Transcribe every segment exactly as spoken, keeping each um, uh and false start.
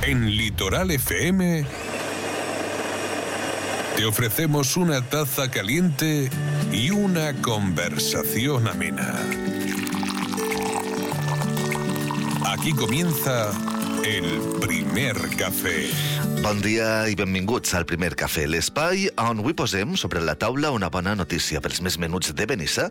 En Litoral F M te ofrecemos una taza caliente y una conversación amena. Aquí comienza el primer cafè. Bon dia i benvinguts al Primer Cafè, l'espai on avui posem sobre la taula una bona notícia pels més menuts de Benissa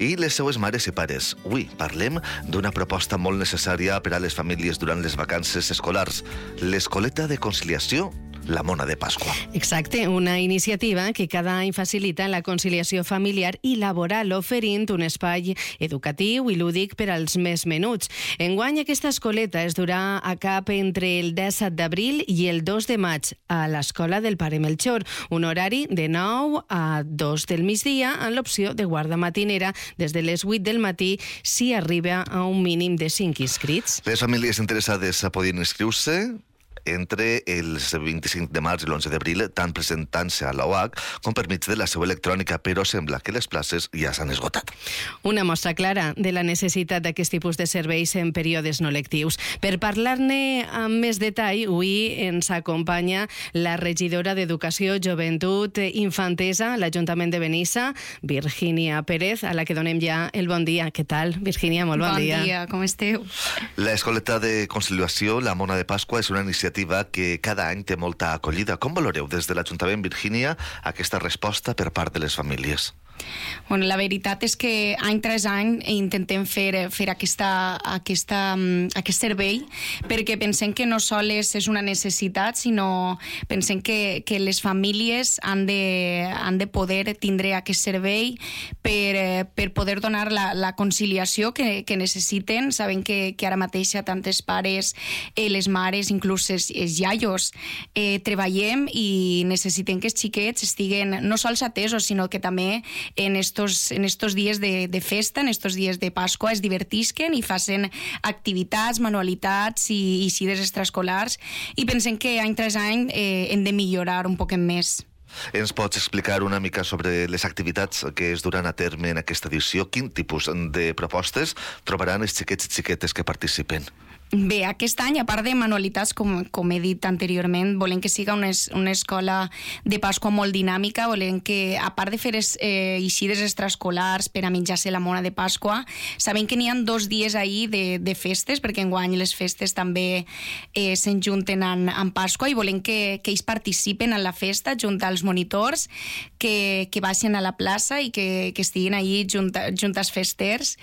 i les seues mares i pares. Avui parlem d'una proposta molt necessària per a les famílies durant les vacances escolars, l'escoleta de conciliació La Mona de Pasqua. Exacte, una iniciativa que cada any facilita la conciliació familiar i laboral, oferint un espai educatiu i lúdic per als més menuts. Enguany aquesta escoleta es durà a cap entre el disset d'abril i el dos de maig a l'Escola del Pare Melchor, un horari de nou a dos del migdia amb l'opció de guarda matinera des de les vuit del matí si arriba a un mínim de cinc inscrits. Les famílies interessades podien inscriure entre el vint-i-cinc de març i l'onze d'abril, tant presentant-se a la O H com per mig de la seu electrònica, però sembla que les places ja s'han esgotat. Una mostra clara de la necessitat d'aquest tipus de serveis en períodes no lectius. Per parlar-ne amb més detall, avui ens acompanya la regidora d'Educació, Joventut, Infantesa a l'Ajuntament de Benissa, Virgínia Pérez, a la que donem ja el bon dia. Què tal, Virgínia? Molt bon, bon dia. Bon dia, com esteu? L'escoleta de conciliació La Mona de Pasqua és una iniciativa que cada any té molta acollida. Com valoreu des de l'Ajuntament, Virgínia, aquesta resposta per part de les famílies? Bueno, la veritat és que any tras any intentem fer, fer aquesta, aquesta, aquest servei perquè pensem que no sols és una necessitat, sinó pensem que, que les famílies han de, han de poder tindre aquest servei per, per poder donar la, la conciliació que, que necessiten. Sabem que, que ara mateix tantes pares, eh, les mares, inclús els, els iaios, eh, treballem i necessitem que els xiquets estiguen no sols atesos, sinó que també en estos, en estos dies de, de festa, en estos dies de Pasqua, es divertisquen i facin activitats, manualitats i, i cides extraescolars, i pensem que any tras any eh, hem de millorar un poc més. Ens pots explicar una mica sobre les activitats que es duran a terme en aquesta edició? Quin tipus de propostes trobaran els xiquets i xiquetes que participen? Bé, aquest any, a part de manualitats, com, com he dit anteriorment, volem que siga una, es, una escola de Pasqua molt dinàmica, volem que, a part de fer es, eh, eixides extraescolars per a menjar-se la Mona de Pasqua, sabem que n'hi ha dos dies ahir de, de festes, perquè enguany les festes també eh, s'enjunten en, en Pasqua, i volem que, que ells participen en la festa junt als monitors, que, que baixen a la plaça i que, que estiguin ahir junt, junt als festers.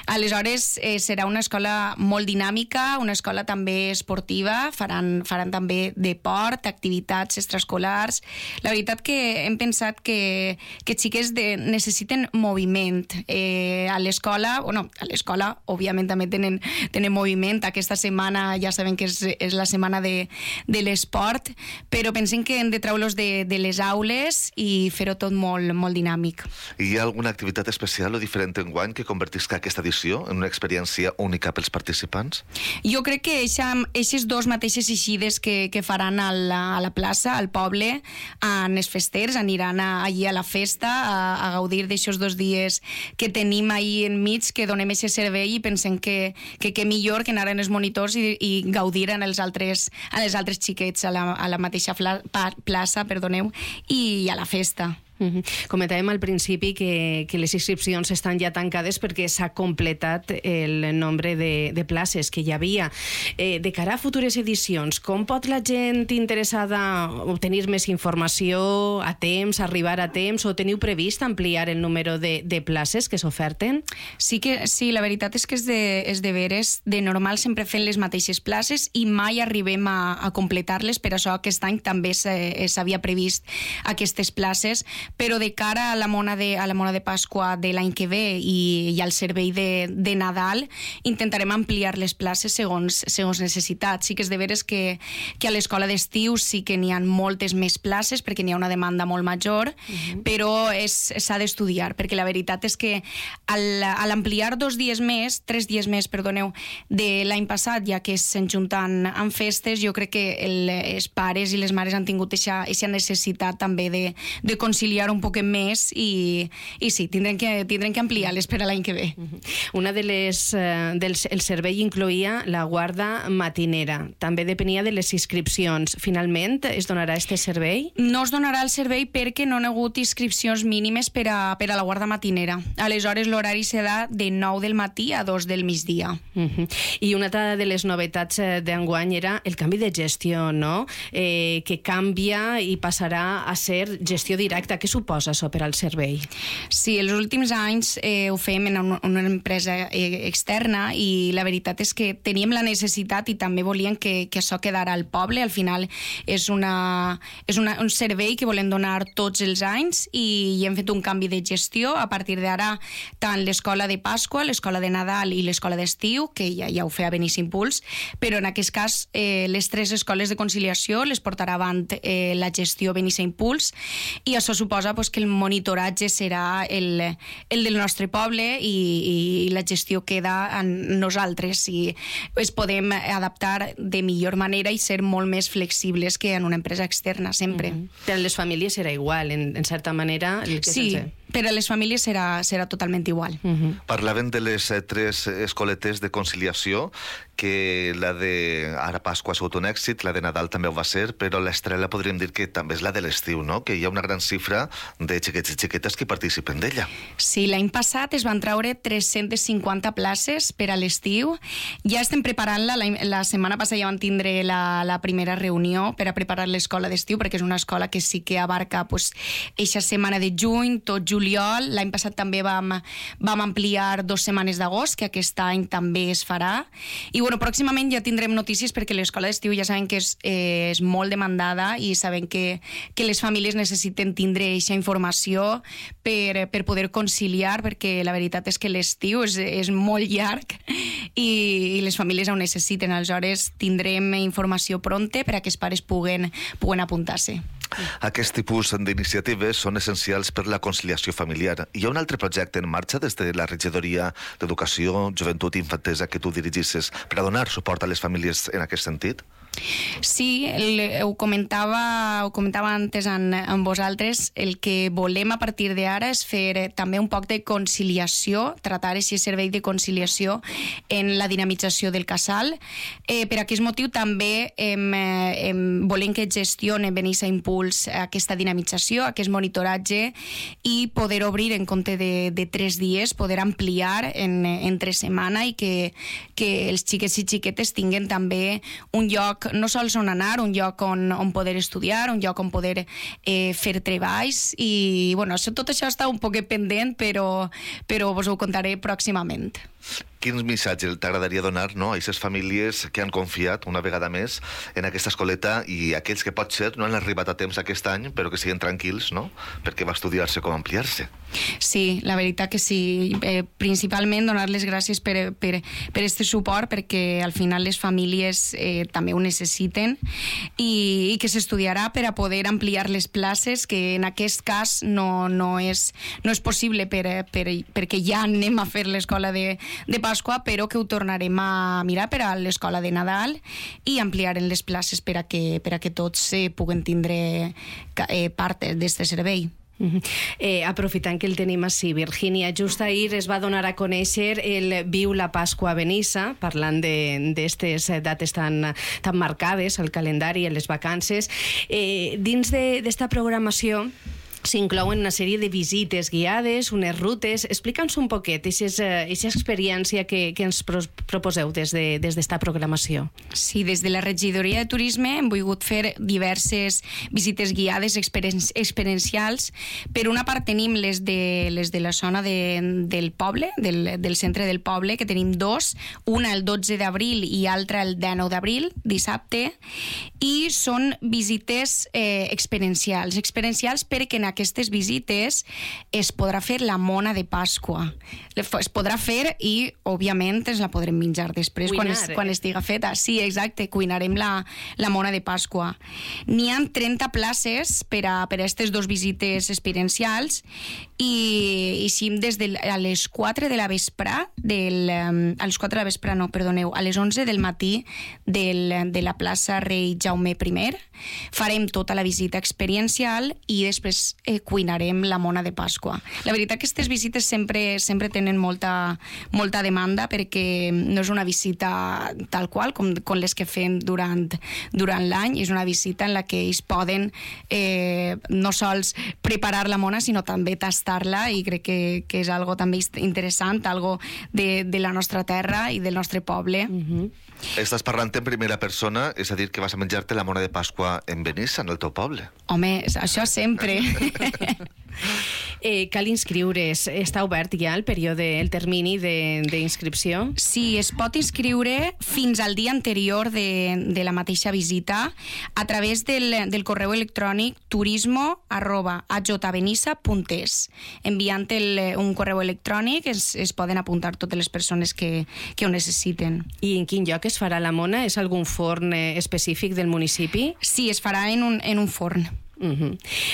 Aleshores, eh, serà una escola molt dinàmica, una escola també esportiva, faran, faran també deport, activitats extraescolars. La veritat que hem pensat que, que xiques de, necessiten moviment. Eh, a l'escola, bueno, a l'escola òbviament també tenen, tenen moviment. Aquesta setmana ja sabem que és, és la setmana de, de l'esport, però pensem que hem de treure-los de, de les aules i fer-ho tot molt, molt dinàmic. Hi ha alguna activitat especial o diferent enguany que convertisca aquesta edició en una experiència única pels participants? Jo crec que aquestes dos mateixes eixides que, que faran a la, a la plaça, al poble, en els festers, aniran a, allí a la festa a, a gaudir d'aixòs dos dies que tenim ahir enmig, que donem aquest servei, i pensem que, que, que millor que anar en els monitors i, i gaudir en els altres, en els altres xiquets a la, a la mateixa fla, pa, plaça perdoneu, i a la festa. Uh-huh. Comentàvem al principi que, que les inscripcions estan ja tancades perquè s'ha completat el nombre de, de places que hi havia. Eh, de cara a futures edicions, com pot la gent interessada obtenir més informació a temps, arribar a temps, o teniu previst ampliar el número de, de places que s'oferten? Sí, que, sí, la veritat és que és de, és de veres. De normal sempre fem les mateixes places i mai arribem a, a completar-les, per això aquest any també s'havia previst aquestes places, però de cara a la Mona de, a la Mona de Pasqua de l'any que ve i, i al servei de, de Nadal intentarem ampliar les places segons, segons necessitats. Sí que és de veres que, que a l'escola d'estiu sí que n'hi ha moltes més places perquè n'hi ha una demanda molt major, uh-huh. però s'ha d'estudiar, perquè la veritat és que al, a l'ampliar dos dies més, tres dies més, perdoneu, de l'any passat, ja que s'enjunten amb festes, jo crec que el, els pares i les mares han tingut aquesta necessitat també de, de conciliar ampliar un poc més i, i sí, tindrem que, tindrem que ampliar-les per a l'any que ve. Una de les, eh, dels, el servei incloïa la guarda matinera. També depenia de les inscripcions. Finalment, es donarà este servei? No es donarà el servei perquè no hi ha hagut inscripcions mínimes per a, per a la guarda matinera. Aleshores, l'horari serà de nou del matí a dos del migdia. Uh -huh. I una altra de les novetats d'enguany era el canvi de gestió, no? Eh, que canvia i passarà a ser gestió directa. Què suposa això per al servei? Sí, els últims anys eh, ho fèiem en una, una empresa eh, externa i la veritat és que teníem la necessitat i també volíem que, que això quedara al poble. Al final és, una, és una, un servei que volem donar tots els anys i, i hem fet un canvi de gestió. A partir d'ara, tant l'escola de Pasqua, l'escola de Nadal i l'escola d'estiu, que ja, ja ho feia Benissa Impuls, però en aquest cas eh, les tres escoles de conciliació les portarà avant eh, la gestió Benissa Impuls i això suposa pues, que el monitoratge serà el, el del nostre poble i, i la gestió queda en nosaltres i es podem adaptar de millor manera i ser molt més flexibles que en una empresa externa, sempre. Mm-hmm. Per a les famílies serà igual, en, en certa manera. El que sí, sense... per a les famílies serà, serà totalment igual. Mm-hmm. Parlaven de les eh, tres escoletes de conciliació, que la de ara Pasqua ha sigut un èxit, la de Nadal també ho va ser, però l'estrella podríem dir que també és la de l'estiu, no? Que hi ha una gran xifra de xiquets i xiquetes que participen d'ella. Sí, l'any passat es van treure tres-centes cinquanta places per a l'estiu. Ja estem preparant-la, la, la setmana passada ja van tindre la, la primera reunió per a preparar l'escola d'estiu, perquè és una escola que sí que abarca pues, eixa setmana de juny, tot juliol. L'any passat també vam, vam ampliar dues setmanes d'agost, que aquest any també es farà. I bueno, pròximament ja tindrem notícies perquè l'escola d'estiu ja saben que és, eh, és molt demandada i saben que, que les famílies necessiten tindre aquesta informació per, per poder conciliar, perquè la veritat és que l'estiu és, és molt llarg i, i les famílies ho necessiten. Aleshores tindrem informació pronta per a que els pares puguen, puguen apuntar-se. Aquest tipus d'iniciatives són essencials per la conciliació familiar. Hi ha un altre projecte en marxa des de la regidoria d'Educació, Joventut i Infantesa que tu dirigisses per a donar suport a les famílies en aquest sentit? Sí, el, ho comentava ho comentava antes en, en vosaltres. El que volem a partir d'ara és fer també un poc de conciliació, tratar aquest servei de conciliació en la dinamització del casal. Eh, per aquest motiu també hem, hem, volem que gestione Benissa Impuls aquesta dinamització, aquest monitoratge i poder obrir en compte de, de tres dies, poder ampliar en, entre setmana i que, que els xiquets i xiquetes tinguen també un lloc no sols on anar, un lloc on, on poder estudiar, un lloc on poder eh, fer treballs i bueno, tot això està un poc pendent, però, però vos ho contaré pròximament. Quin missatge t'agradaria donar, no, a aquestes famílies que han confiat una vegada més en aquesta escoleta i aquells que potser no han arribat a temps aquest any però que siguin tranquils, no?, perquè va estudiar-se com ampliar-se? Sí, la veritat que sí. Eh, principalment donar les gràcies per, per, per este suport, perquè al final les famílies eh, també ho necessiten i, i que s'estudiarà per a poder ampliar les places, que en aquest cas no, no, és, no és possible per, per, perquè ja anem a fer l'escola de, de Pasqua, però que ho tornarem a mirar per a l'escola de Nadal i ampliarem les places per a que, per a que tots eh, puguen tindre eh, part d'aquest servei. Uh-huh. Eh, aprofitant que el tenim així, Virgínia, just ahir es va donar a conèixer el Viu la Pasqua a Benissa, parlant d'aquestes dates tan, tan marcades al calendari, en les vacances. Eh, dins d'esta programació s'inclouen una sèrie de visites guiades, unes rutes. Explica'ns un poquet aquesta experiència que, que ens pro proposeu des d'esta de, programació. Sí, des de la regidoria de turisme hem volgut fer diverses visites guiades experien experiencials. Per una part tenim les de, les de la zona de, del poble, del, del centre del poble, que tenim dos, una el dotze d'abril i altra el dinou d'abril, dissabte, i són visites eh, experiencials. Experiencials perquè en aquestes visites es podrà fer la mona de Pasqua. Es podrà fer i, òbviament, ens la podrem menjar després quan, es, quan estiga feta. Sí, exacte, cuinarem la, la mona de Pasqua. N'hi ha trenta places per a, per a aquestes dues visites experiencials i, i sí, des de a les quatre de la vesprà, del, a les quatre de la vesprà, no, perdoneu, a les onze del matí del, de la plaça Rei Jaume I, farem tota la visita experiencial i després eh, cuinarem la mona de Pasqua. La veritat que aquestes visites sempre, sempre tenen molta, molta demanda perquè no és una visita tal qual com, com les que fem durant, durant l'any, és una visita en la que ells poden eh, no sols preparar la mona sinó també tastar-la i crec que, que és algo també interessant, algo de, de la nostra terra i del nostre poble. Mm-hmm. Estàs parlant en primera persona, és a dir, que vas a menjar-te la mona de Pasqua en Benissa, en el teu poble. Home, això sempre. eh, cal inscriure's. Està obert ja el període, el termini d'inscripció? Sí, es pot inscriure fins al dia anterior de, de la mateixa visita a través del, del correu electrònic turismo arroba a j benissa punt es. Enviant el, un correu electrònic es, es poden apuntar totes les persones que, que ho necessiten. I en quin lloc es farà la mona? És algun forn específic del municipi? Sí, es farà en un, en un forn. Uh-huh.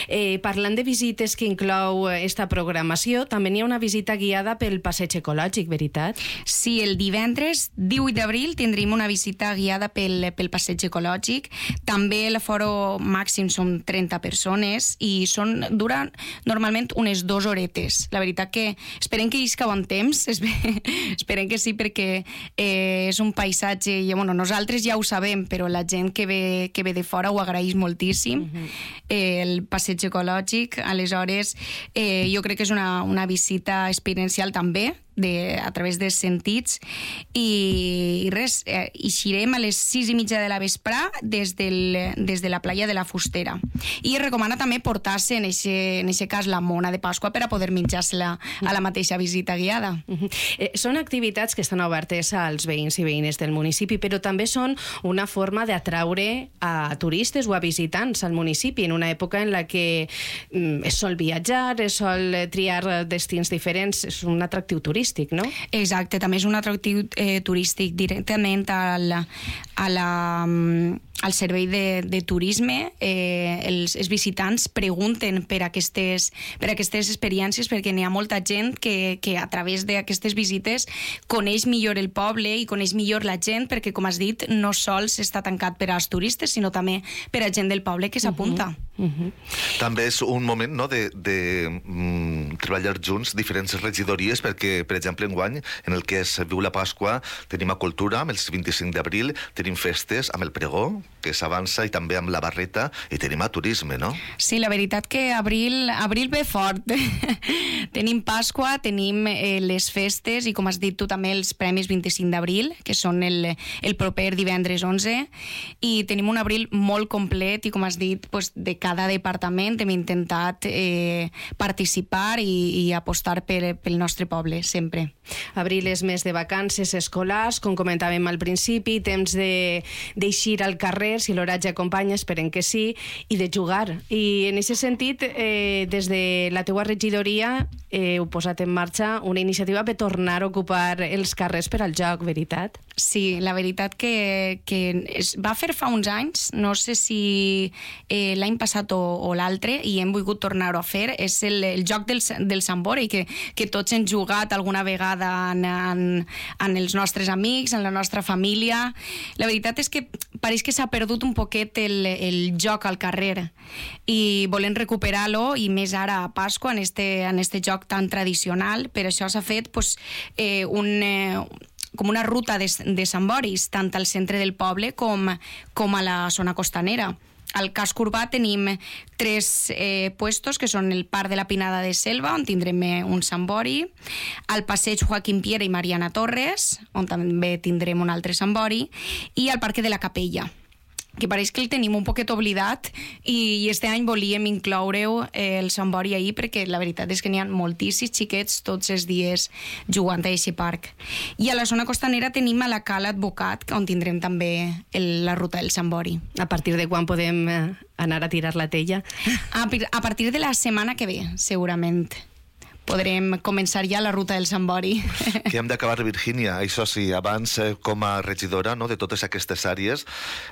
eh, parlant de visites que inclou esta programació, també n'hi ha una visita guiada pel passeig ecològic, veritat? Sí, el divendres divuit d'abril tindrem una visita guiada pel, pel passeig ecològic. També l'aforo màxim són trenta persones i són, duren normalment unes dues horetes. La veritat que esperem que isca bon temps, esperem que sí, perquè eh, és un paisatge, i bueno, nosaltres ja ho sabem, però la gent que ve, que ve de fora ho agraeix moltíssim. Uh-huh. eh, el passeig ecològic, aleshores eh, jo crec que és una, una visita experiencial també, de, a través dels sentits i, i res, eh, eixirem a les sis i mitja de la vesprà des, del, des de la playa de la Fustera i es recomana també portar-se en aquest cas la mona de Pasqua per a poder menjar-se-la a la mateixa visita guiada. Uh-huh. eh, Són activitats que estan obertes als veïns i veïnes del municipi, però també són una forma d'atraure a turistes o a visitants al municipi en una època en la que mm, es sol viatjar, es sol triar destins diferents, és un atractiu turístic, no? Exacte, també és un atractiu eh, turístic directament al, a la, al servei de, de turisme. Eh, els, els visitants pregunten per aquestes, per aquestes experiències perquè n'hi ha molta gent que, que a través d'aquestes visites coneix millor el poble i coneix millor la gent perquè, com has dit, no sols està tancat per als turistes, sinó també per a gent del poble que s'apunta. Uh-huh. Uh-huh. També és un moment, no?, de, de mm, treballar junts diferents regidories perquè, per exemple, enguany, en el que es viu la Pasqua, tenim a Cultura amb el vint-i-cinc d'abril, tenim festes amb el pregó, que s'avança, i també amb la barreta, i tenim a turisme, no? Sí, la veritat que abril, abril ve fort. Tenim Pasqua, tenim eh, les festes i, com has dit tu, també els Premis vint-i-cinc d'abril, que són el, el proper divendres onze, i tenim un abril molt complet i, com has dit, pues, de cada departament hem intentat eh, participar i, i apostar per, pel nostre poble, sempre. Abril és mes de vacances escolars, com comentàvem al principi, temps d'eixir al carrer, si l'horatge acompanya, esperem que sí, i de jugar. I en aquest sentit, eh, des de la teua regidoria eh, heu posat en marxa una iniciativa per tornar a ocupar els carrers per al joc, veritat? Sí, la veritat que, que es va fer fa uns anys, no sé si eh, l'any passat o, o l'altre, i hem volgut tornar-ho a fer, és el, el joc del, del Sambori, que, que tots hem jugat alguna vegada en, en, en els nostres amics, en la nostra família. La veritat és que pareix que s'ha perdut un poquet el, el joc al carrer i volem recuperar-lo, i més ara a Pasqua, en este, en este joc tan tradicional. Per això s'ha fet pues, eh, un... Eh, com una ruta de, de Samboris, tant al centre del poble com, com a la zona costanera. Al casc urbà tenim tres eh, puestos, que són el Parc de la Pinada de Selva, on tindrem un Sambori, al Passeig Joaquim Piera i Mariana Torres, on també tindrem un altre Sambori, i al Parc de la Capella, que pareix que el tenim un poquet oblidat, i, i este any volíem incloure-ho eh, el Sambori ahir, perquè la veritat és que n'hi ha moltíssims xiquets tots els dies jugant a aquest parc. I a la zona costanera tenim a la Cala Advocat, on tindrem també el, la ruta del Sambori. A partir de quan podem anar a tirar la tella? A, a partir de la setmana que ve, segurament. podrem començar ja la ruta del Sant Bori. Que hem d'acabar, Virgínia. Això sí, abans, eh, com a regidora, no, de totes aquestes àrees,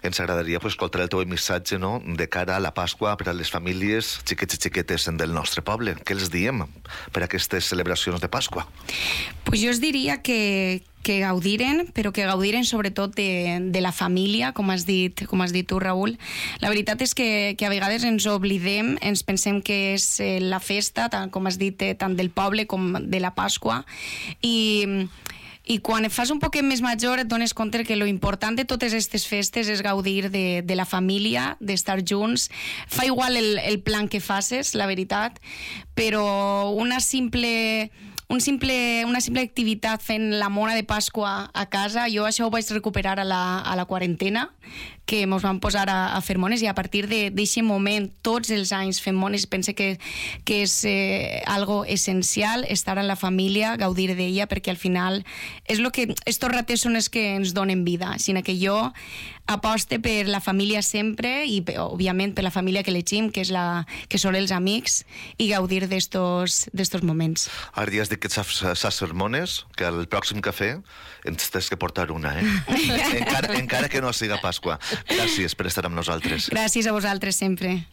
ens agradaria pues, escoltar el teu missatge, no, de cara a la Pasqua per a les famílies xiquets i xiquetes del nostre poble. Què els diem per a aquestes celebracions de Pasqua? Pues jo us diria que que gaudiren, però que gaudiren sobretot de, de la família, com has dit, com has dit tu, Raül. La veritat és que, que a vegades ens oblidem, ens pensem que és eh, la festa, tant, com has dit, eh, tant del poble com de la Pasqua, i... I quan et fas un poquet més major et dones compte que lo important de totes aquestes festes és gaudir de, de la família, d'estar junts. Fa igual el, el plan que faces, la veritat, però una simple... Un simple, una simple activitat fent la mona de Pasqua a casa, jo això ho vaig recuperar a la, a la quarantena, que ens vam posar a, a fer mones, i a partir d'aquest moment, tots els anys fent mones, pense que, que és eh, algo essencial, estar en la família, gaudir d'ella, perquè al final és lo que, estos rates són els que ens donen vida, sinó que jo aposte per la família sempre i, òbviament, per la família que elegim, que, és la, que són els amics, i gaudir d'estos, d'estos moments. Ara ja has dit que saps, saps fer mones, que al pròxim cafè ens tens que portar una, eh? encara, encara que no siga Pasqua. Gràcies per estar amb nosaltres. Gràcies a vosaltres sempre.